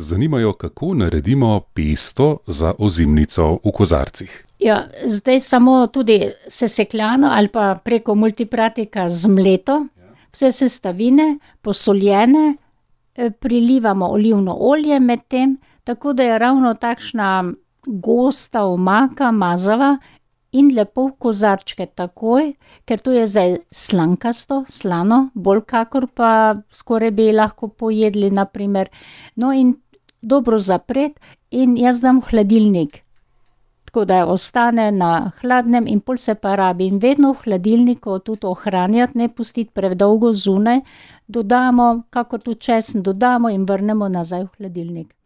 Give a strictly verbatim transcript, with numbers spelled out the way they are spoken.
zanimajo, kako naredimo pesto za ozimnico v kozarcih. Ja, zdaj samo tudi sesekljano ali pa preko multipratika zmleto, vse sestavine, posoljene, prilivamo olivno olje med tem, tako da je ravno takšna gosta omaka, mazava in lepo v kozarčke takoj, ker to je zdaj slankasto, slano, bolj kakor pa skoraj bi lahko pojedli, na primer. No, in dobro zapret in jaz dam v hladilnik. Tako da ostane na hladnem in pol se pa rabi. In vedno v hladilniku tudi ohranjati, ne pustiti predolgo zunaj, dodamo, kakor tudi česen dodamo in vrnemo nazaj v hladilnik.